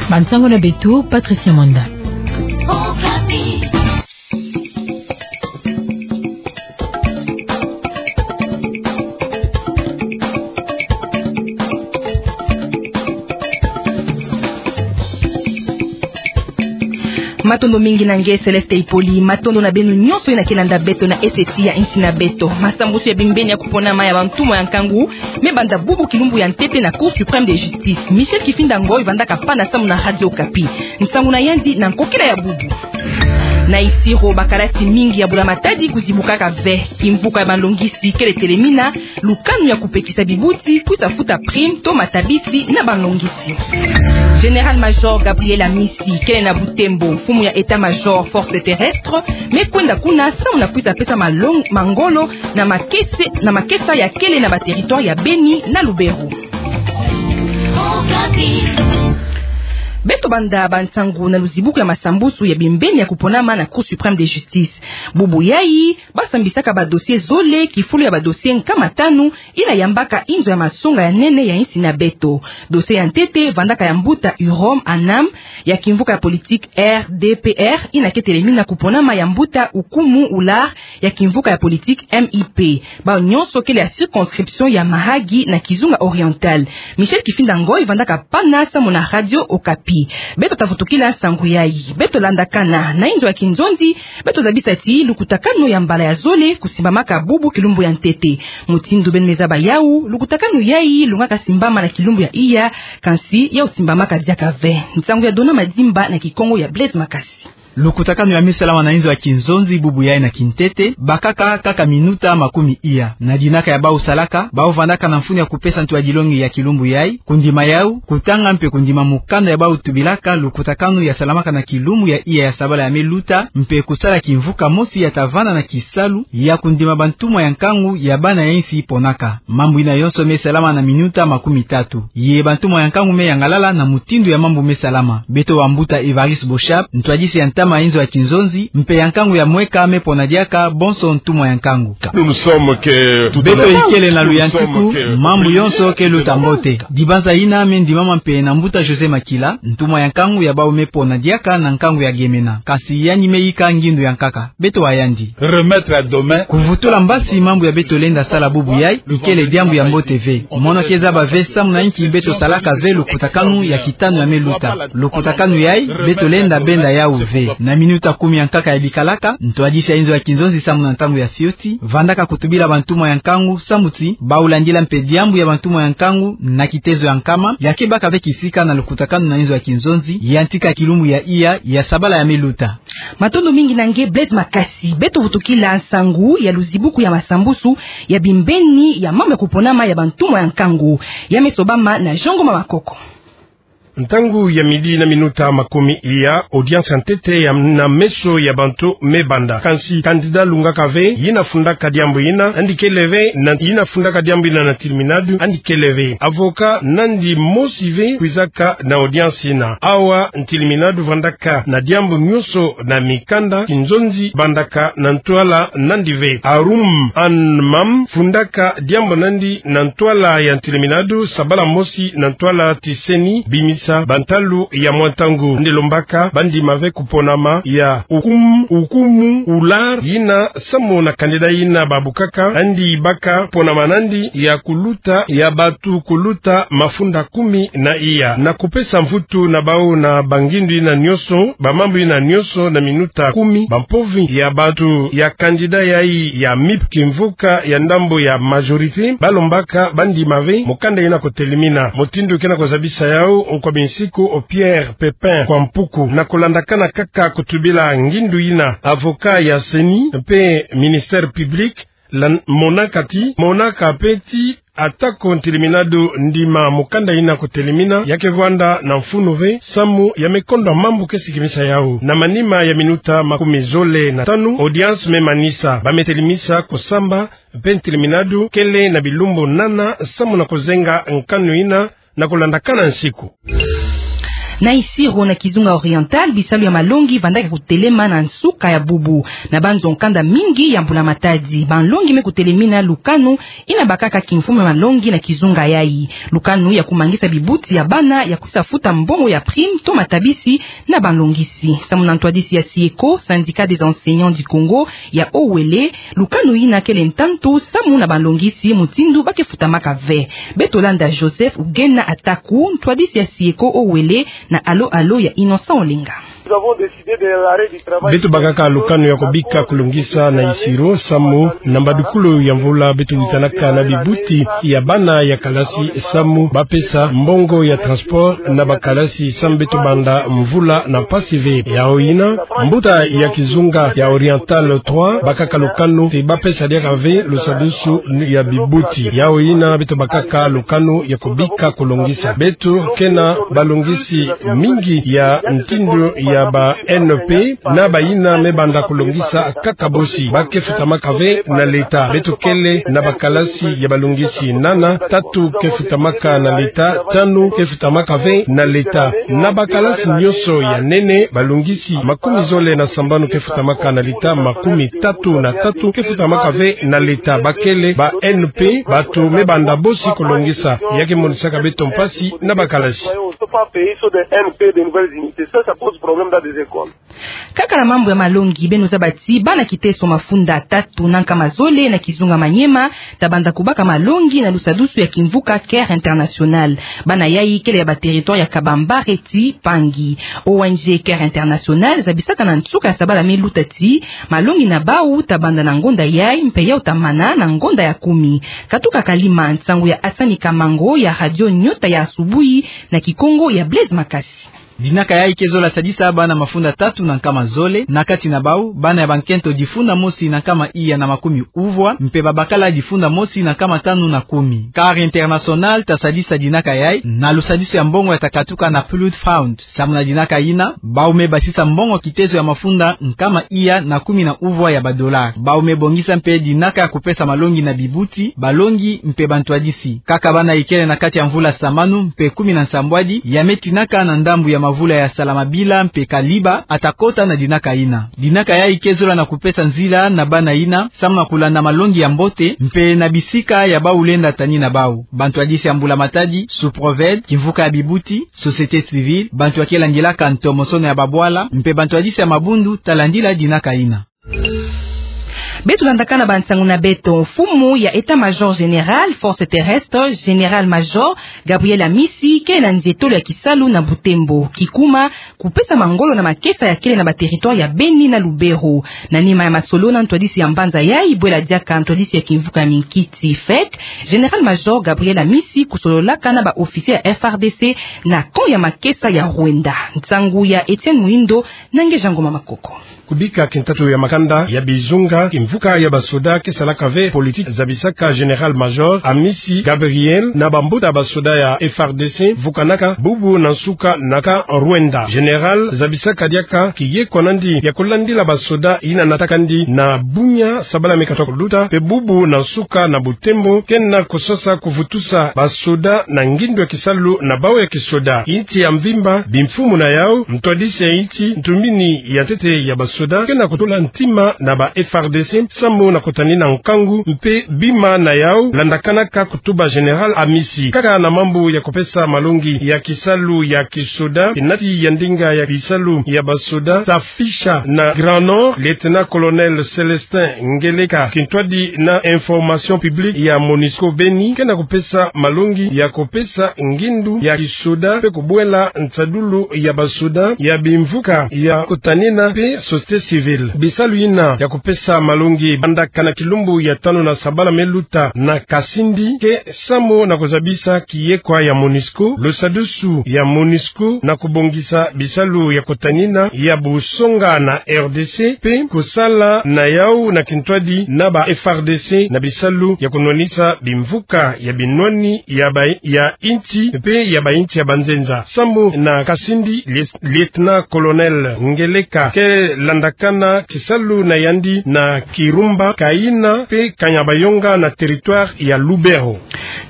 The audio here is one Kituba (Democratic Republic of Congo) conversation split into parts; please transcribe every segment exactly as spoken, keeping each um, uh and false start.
Bansango na beto, Patricia Mwanda. Matondo mingi na nge Céleste Ipoli, matondo na beno nyonso yena ke landa beto na S T ya insi na beto. Masambusu ya bimbeni ya kuponama ya bantumwa ya nkangu me banda bubu kilumbu ya ntete na Cour suprême de justice. Michel Kifinda Ngoy vandaka pana samu na Radio Okapi. Nsangu na yandi na nkokila ya bubu. Na Isiro, bakalasi mingi ya bula-matadi kuzibukaka ve. Kimvuka ya banlongisi kele telemina lukanu ya kupekisa bibuti, kwisa futa prime to matabisi na banlongisi. Général-major Gabriel Amisi kele na Butembo, mfumu ya état-major force terrestre, me kwenda kuna samu na kwisa pesa malong-, mangolo na makese-, na makesa ya kele na baterritoire ya Beni na Lubero. Beto banda bansangu na luzibuku ya masambusu ya bimbeni ya kuponama na Cour suprême de justice. Bubu yayi, basambisaka badossier zole, kifulu ya badossier nkama tanu, yina yambaka inzo ya masonga ya nene ya insi na beto. Dossier ya ntete vandaka ya mbuta Hurom Anam, ya kimvuka ya politique R D P R, yina ke telemina kuponama ya mbuta Ukumu Ular, ya kimvuka ya politique M I P. Bawu nyonso kele ya circonscription ya Mahagi na Kizunga Oriental. Michel Kifinda Ngoy vandaka pana samu na Radio Okapi. Beto ta vutukila nsangu yayi. Beto landakana na inzo ya kinzonzi, beto zabisa ti lukutakanu ya mbala ya zole kusimbamaka bubu kilumbu ya ntete. Mutindu beno me zaba yawu, lukutakanu yayi lungaka simbama na kilumbu ya iya, kansi yawu simbamaka diaka ve. Nsangu ya Dona Madimba na Kikongo ya Blaise Makasi. Lukutakanu ya me salama na inzo ya kinzonzi bubu yayi na kintete, bakaka kaka minuta makumi iya. Na dinaka ya bawu salaka, bawu vandaka na mfunu ya kupesa ntu ya dilongi ya kilumbu yayi, kundima yawu, kutanga mpe kundima mukanda ya bawu tubilaka lukutakanu ya salamaka na kilumbu ya iya ya sabala ya me luta, mpe kusala kimvuka mosi ya ta vanda na kisalu ya kundima bantumwa ya nkangu ya bana ya insi ponaka. Mambu yina yonso me salama na minuta makumi tatu. Ye bantumwa ya nkangu me yangalala na mutindu ya mambu me salama. Beto wa mbuta Évariste Boshab, ntwadisi ya ntama ya inzo ya kinzonzi, mpe ya nkangu ya mweka me pona diaka bonso ntumwa ya nkangu. Beto ikele na luyantiku, mambu yonso ke luta mbote. Dibanza yina me ndimama mpe na mbuta José Makila, ntumwa ya nkangu ya bawu me pona diaka na nkangu ya Gemena. Kansi yandi me yika ngindu ya nkaka. Beto wa yandi. Remettre à demain. Kuvutula mbasi mambu ya beto lenda sala bubu yayi, ikele diambu ya mbote ve. Mono ke zaba ve samu na inki beto salaka ve lukutakanu ya kitanu ya me luta. Lukutakanu yayi, beto lenda benda yawu ve. Na minuta kumi ya nkaka ya bikalaka, ntwadisi ya inzo ya kinzonzi samu na ntangu ya sioti, vandaka kutubila bantumwa ya nkangu, samu ti, bawu landila mpe diambu ya bantumwa ya nkangu, na kitezo ya nkama, ya ke baka ve kisika na lukutakanu na inzo ya kinzonzi, ya ntika kilumbu ya iya, ya sabala ya me luta. Matondo mingi na nge Blaise Makasi. Beto vutukila nsangu ya luzibuku ya masambusu ya bimbeni ya mambu ya kuponama ya bantumwa ya nkangu. Ya me sobama na Jean Ngoma Makoko. Ntangu ya midi na minuta makumi iya, audience ya ntete ya na meso ya bantu me banda. Kansi candidat lungaka ve, yina fundaka diambu yina, andi kele ve, na yina fundaka diambu yina na ntiliminadu, andi kele ve. Avocat nandi mosi ve kwizaka na audience yina. Awa ntiliminadu vandaka na diambu nyonso na mikanda, kinzonzi bandaka na ntwala nandi ve. Arum Anmam fundaka diambu nandi na ntwala ya ntiliminadu, sabala mosi na ntwala ti CENI, bimisa bantalu ya mwa ntangu. Nde lombaka bandima ve kuponama ya Ukum, Ukumu Ular, yina samu na candidat yina babukaka, andi baka ponama nandi ya kuluta, ya batu kuluta mafunda kumi na iya. Na kupesa mvutu na bawu na bangindu yina nyonso, bamambu yina nyonso na minuta kumi, bampovi ya batu ya candidat yayi ya MIP, kimvuka ya ndambu ya majorité, balombaka bandima ve mukanda yina kutelimina. Mutindu ke na kuzabisa yawu, nkwa binsiku o Pierre Pépin Kwampuku, na kulandakana kaka kutubila ngindu yina, avocat ya CENI mpe ministère public, la monaka ti, monaka mpe ti, atako ntiliminadu ndima mukanda yina kutelimina, ya ke vwanda na mfunu ve, samu ya me kondwa mambu ke sikimisa yawu. Na manima ya minuta makumi zole na tanu, audience me manisa, ba me telimisa kusamba, mpe ntiliminadu kele na bilumbu nana samu na kuzenga nkanu yina na kulandakana nsiku. Na Isiro, na kizunga Oriental, bisalu ya malongi vandaka kutelema na nsuka ya bubu. Na banzo nkanda mingi ya mbula matadi, banlongi me kutelemina lukanu ina bakaka kimfumu ya malongi na kizunga yayi. Lukanu ya kumangisa bibuti ya bana ya kusafuta mbongo ya prime to matabisi na banlongisi. Samu na ntwadisi ya SIECO, Syndicat des Enseignants du Congo, ya Haut-Uélé, lukanu yina kele ntantu samu na banlongisi mutindu ba ke futamaka ve. Beto landa Joseph Ugena Ataku, ntwadisi ya SIECO Haut-Uélé, na alo-alo ya Innocent Olenga. Beto bakaka lukanu ya kubika kulongisa na Isiro samu na mbadukulu ya mvula beto witanaka na bibuti ya bana ya kalasi samu ba pesa mbongo ya transport na bakalasi samu beto banda mvula na mpasi ve. Yayi yina, mbuta ya kizunga ya Oriental trois bakaka lukanu ti ba pesa diaka ve lusadusu ya bibuti. Yayi yina beto bakaka lukanu ya kubika kulongisa. Beto ke na balongisi mingi ya ntindu ya ba N P, na bayina me banda kulongisa kaka bosi. Ba ke futamaka ve na leta. Beto kele na bakalasi ya balongisi nana, tatu ke futamaka na leta, tanu ke futamaka ve na leta. Na bakalasi nyonso ya nene, balongisi makumi zole na sambanu ke futamaka na leta, makumi tatu na tatu ke futamaka ve na leta. Ba kele ba N P, bato me banda bosi kulongisa. Ya ke monisaka beto mpasi na bakalasi. Kaka na mambu ya malongi, beno zaba ti bana kiteso mafunda tatu na nkama zole na kizunga Maniema ta banda kubaka malongi na lusadusu ya kimvuka Care International. Bana yayi kele ya ba territoire ya Kabambare ti Pangi. O N G Care International zabisaka na nsuka ya sabala me luta ti malongi na bau ta banda na ngonda yayi mpe yau ta mana na ngonda ya kumi. Katuka Kalima, nsangu ya Hassani Kamango ya Radio Nyota ya Asubuhi na Kikongo ya Blaise Makasi. Dinaka yayi ke zola sadisa bana mafunda tatu na nkama zole, na kati na bau bana ya bankento difunda mosi na nkama iya na makumi uvwa, mpe babakala difunda mosi na nkama tanu na kumi. Care International ta sadisa dinaka yayi na lusadisu ya mbongo ya ta katuka na Flood Fund. Samu na dinaka yina, bau me basisa mbongo kitezo ya mafunda nkama iya na kumi na uvwa ya ba dollars. Bau me bongisa mpe dinaka ya kupesa malongi na bibuti, balongi mpe bantwadisi. Kaka bana ikele na kati ya mvula samanu mpe kumi na nsambwadi ya me tinaka na ndambu ya mavula ya Salamabila mpe Kaliba ata kota na dinaka yina. Dinaka yayi ke zola na kupesa nzila na bana yina samu na kulanda malongi ya mbote mpe na bisika ya bau lenda tani na bau. Bantwadisi ya mbula matadi, Suproved, kimvuka ya bibuti, société civile, bantu ya ke landilaka ntomosono ya babwala, mpe bantwadisi ya mabundu ta landila dinaka yina. Beto landaka na bansangu na beto. Mfumu ya État-Major Général Forces Terrestres, Général-Major Gabriel Amisi, ke na nzietolo ya kisalu na Butembo, kikuma kupesa mangolo na makesa ya kele na ba territoire ya Beni na Lubero. Na nima ya masolo na ntwadisi ya mbanza yayi, bwela diaka ntwadisi ya kimvuka ya minkiti, fek, Général-Major Gabriel Amisi kusololaka na ba officiers ya F R D C na camp ya makesa ya Rwenda. Nsangu ya Etienne Muindo na Ngeja Ngoma Makoko. Kubika kintatu ya makanda ya bizunga, kimvuka ya basoda ke salaka ve politique, zabisaka Général-Major Amisi Gabriel na bambuta basoda ya F R D C vukanaka bubu na nsuka na camp Rwenda. Général zabisaka diaka kiyekwa nandi ya kulandila basoda yina natakandi na Bunia, sabala me katoka kuluta, mpe bubu na nsuka na Butembo, ke na kusosa kuvutusa basoda na ngindu ya kisalu na bau ya kisoda. Insi ya mvimba, bimfumu na yau, ntwadisi ya insi, ntumbini ya ntete ya basoda, ke na kutula ntima na ba F R D C samu na kutanina nkangu mpe bima na yau landakanaka kutuba Général Amisi. Kaka na mambu ya kupesa malongi ya kisalu ya kisoda, kinati ya ndinga ya bisalu ya basoda ta fisha na Grand Nord, Lieutenant-colonel Célestin Ngeleka, kintwadi na information publique ya MONUSCO Beni, ke na kupesa malongi ya kupesa ngindu ya kisoda mpe kubwela nsadulu ya basoda, ya bimvuka ya kutanina mpe société civile. Bisalu yina ya kupesa malongi bandaka na kilumbu ya tanu na sabala me luta na Kasindi, ke samu na kuzabisa kiyekwa ya MONUSCO, lusadusu ya MONUSCO na kubongisa bisalu ya kutanina ya busonga na R D C, mpe kusala na yau na kintwadi na ba F R D C na bisalu ya kunwanisa bimvuka ya binwani ya ba, ya insi mpe ya bainsi ya banzenza. Samu na Kasindi, Lies-, Lieutenant-colonel Ngeleka ke landakana kisalu na yandi na Kirumba, Kaina mpe Kanyabayonga na territoire ya Lubero.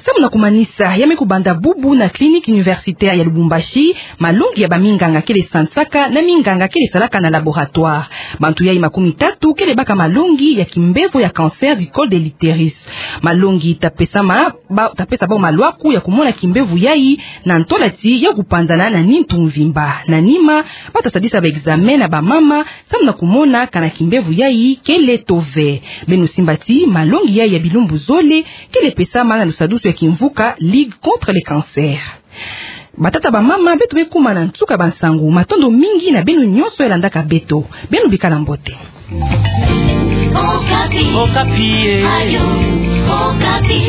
Samu na kumanisa, ya me kubanda bubu na Clinique Universitaire ya Lubumbashi malongi ya baminganga kele sansaka na minganga kele salaka na laboratoire. Bantu yai makumi tatu kele baka malongi ya kimbevo ya cancer du col de l'utérus. Malongi tapesama ba-, tapesa bau malwaku ya kumona kimbevo yai na ntwala ti ya kupanzana na nintu mvimba. Na nima, bata sadisa ba examen na bamama, samu na kumona kana kimbevo yai kele to ve. Beno simba ti malongi yai ya bilumbu zole kele pesama na lusadusu ya kimvuka Ligue contre le cancer. Batata, bamama, beto me kuma na nsuka bansangu. Matondo mingi na beno nyonso ya landaka beto. Beno bikala mbote. Okapi. Okapi, eh. Radio Okapi.